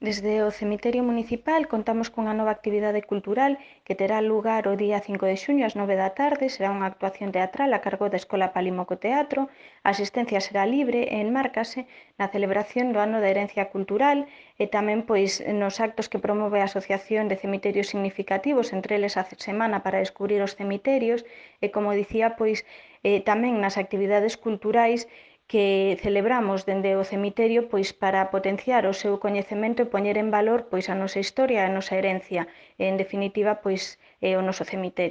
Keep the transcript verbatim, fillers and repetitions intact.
Desde o cemiterio municipal contamos cunha nova actividade cultural que terá lugar o día cinco de xuño ás nove da tarde. Será unha actuación teatral a cargo da Escola Palimoco Teatro. A asistencia será libre e enmárcase na celebración do Ano da Herencia Cultural e tamén pois nos actos que promove a Asociación de Cemiterios Significativos, entre eles a Semana para Descubrir os Cemiterios e, como dicía, pois eh, tamén nas actividades culturais que celebramos dende o cemiterio pois para potenciar o seu coñecemento e poñer en valor pois a nosa historia e a nosa herencia, e, en definitiva, pois é o noso cemiterio.